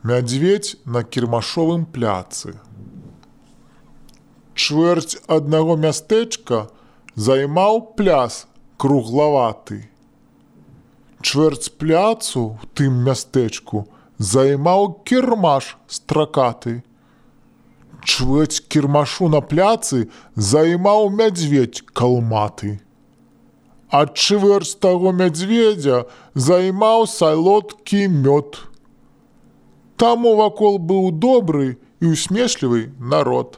Мядзведзь на кірмашовым пляцы. Чвэрць аднаго мястэчка займаў пляс круглаваты. Чвэрць пляцу ў тым мястэчку займаў кірмаш стракаты. Чвэрць кірмашу на пляцы займаў мядзведзь калматы. А чвэрць таго мядзведзя займаў салодкі мёд. Таму вакол быў добры і усмешлівы народ.